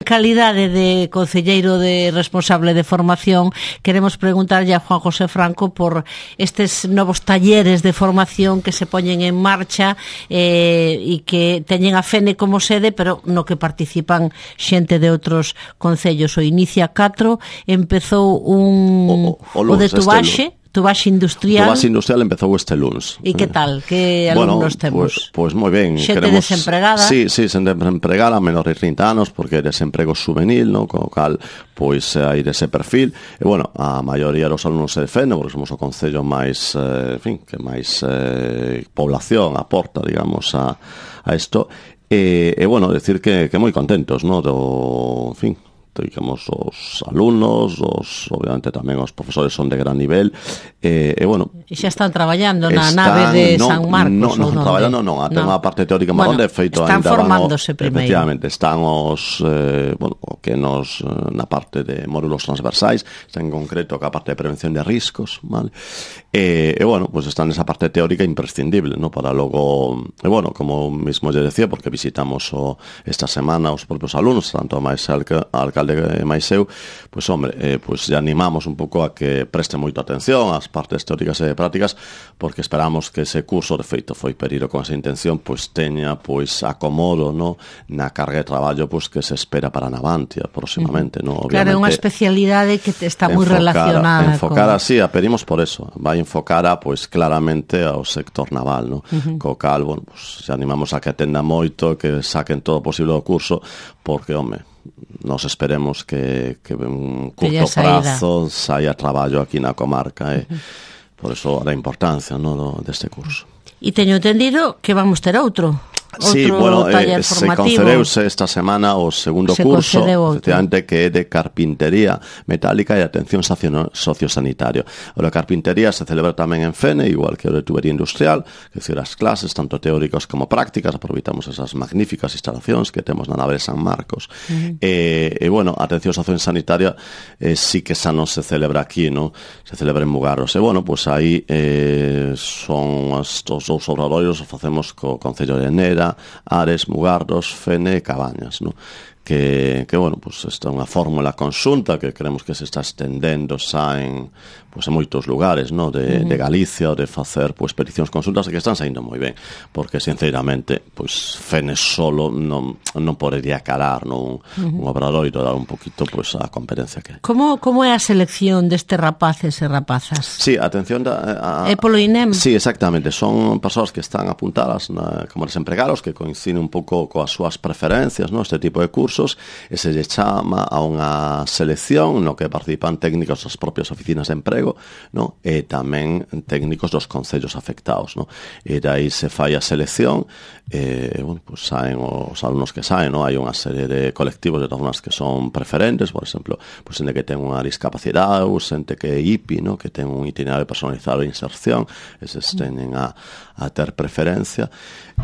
calidade de concelleiro de responsable de formación, queremos preguntarlle a Juan José Franco por estes novos talleres de formación que se poñen en marcha e que teñen a FENE como sede, pero no que participan xente de outros concellos. O Inicia 4 empezou o de Tubaxe Industrial. Tubaxe Industrial empezou este luns. E que tal? Que alumnos temos? Pois moi ben. Xente desempregada. Sí, xente desempregada, menor de 30 anos, porque é desemprego juvenil, no? Co cal, pois, hai dese perfil. E, bueno, a maioría dos alumnos se defende, porque somos o concello máis, que máis población aporta, digamos, a isto. E, bueno, decir que moi contentos, no? Digamos, os alumnos, obviamente tamén os profesores son de gran nivel, e bueno... E xa están traballando na nave de San Marcos? Non, traballando non, ten unha parte teórica máis onde, feito, están formándose primeiro. Efectivamente, están os, que nos, na parte de módulos transversais, están en concreto ca parte de prevención de riscos, vale? E bueno, pues están nesa parte teórica imprescindible, ¿no? Para logo, e bueno, como mismo lle decía, porque visitamos esta semana os propios alumnos, tanto máis alcalde máis eu, pois, hombre, pois lle animamos un pouco a que preste moita atención ás partes teóricas e prácticas, porque esperamos que ese curso, de feito, foi pedido con esa intención, pois teña, pois, acomodo, no, na carga de traballo, pois, que se espera para Navantia próximamente, no? Obviamente, claro, é unha especialidade que está moi relacionada. Enfocar así, a pedimos por eso, vai enfocar pois, claramente ao sector naval, no? Co cal, bueno, pois, se animamos a que atenda moito, que saquen todo o posible do curso, porque, home, nos esperemos que en curto prazo saia traballo aquí na comarca, por eso a importancia, no, deste curso. E teño entendido que vamos ter outro taller se formativo. concedeuse esta semana o segundo curso, efectivamente, que é de carpintería metálica e atención sociosanitario. O de carpintería se celebra tamén en FENE, igual que o de tubería industrial, que decir, as clases, tanto teóricas como prácticas, aproveitamos esas magníficas instalacións que temos na nave de San Marcos. E, bueno, a atención sociosanitaria sí que xa non se celebra aquí, no? Se celebra en Mugarros. E, bueno, pues aí son estos dous obradoiros, facemos co Concello de Nera, Ares, Mugardos, Fene e Cabañas, no? Que bueno, pues esta é unha fórmula conxunta que creemos que se está estendendo xa en moitos lugares, no? De Galicia, ou de facer pues peticións consultas, e que están saindo moi ben, porque sinceramente pues Fene solo non podería calar, no? Un obradoiro, dar un poquito pues a competencia que hai. Como é a selección deste rapaces e rapazas? Sí, atención é polo INEM? Sí, exactamente, son persoas que están apuntadas como desempregados, que coinciden un pouco coas súas preferencias, no? Este tipo de cursos, e se lle chama a unha selección no que participan técnicos das propias oficinas de emprego, no? E tamén técnicos dos concellos afectados, no? E dai se fai a selección, bueno, pues saen os alumnos que saen, no? Hai unha serie de colectivos de personas que son preferentes, por exemplo, pues xente que ten unha discapacidade, ou xente que é IPI, no? Que ten un itinerario personalizado de inserción, eses teñen a ter preferencia,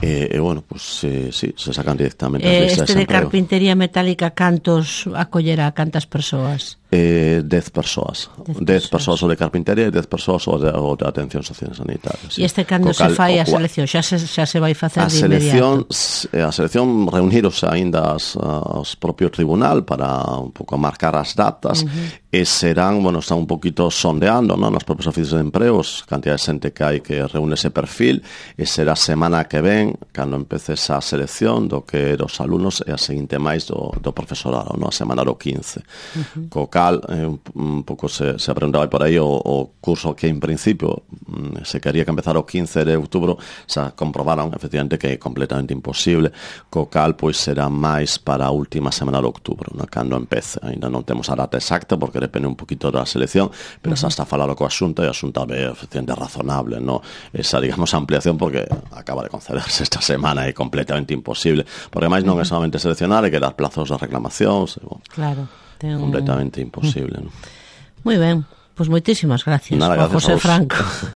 e bueno, pues sí, se sacan directamente as listas de desemprego. Este de carpintería metálica, cantos acollerá, cantas persoas? 10 persoas. 10 persoas o de carpintería e 10 persoas o de atención sociosanitaria. E este cando se fai a selección? Xa se vai facer de inmediato? A selección reuniros aínda aos propio tribunal para un pouco marcar as datas, e serán, bueno, están un poquito sondeando, non, nos propios oficios de empregos, cantidad de xente que hai que reúne ese perfil, e será semana que ven cando empece esa selección do que dos alumnos e a seguinte máis do profesorado, non? A semana do 15. Co cal, un pouco se preguntaba por aí o curso que en principio se quería que empezara o 15 de outubro, xa comprobaron efectivamente que é completamente imposible, co cal pois será máis para a última semana de outubro, non? Cando empece. Ainda non temos a data exacta porque depende un poquito da selección, pero xa está falado coa Xunta, e a Xunta ve efectivamente razonable, non? Esa, digamos, ampliación, porque acaba de concederse esta semana, é completamente imposible, porque máis non é solamente seleccionar, é que dar plazos de reclamacións, claro, completamente imposible, non? Moi ben, pois moitísimas gracias, Juan José Franco.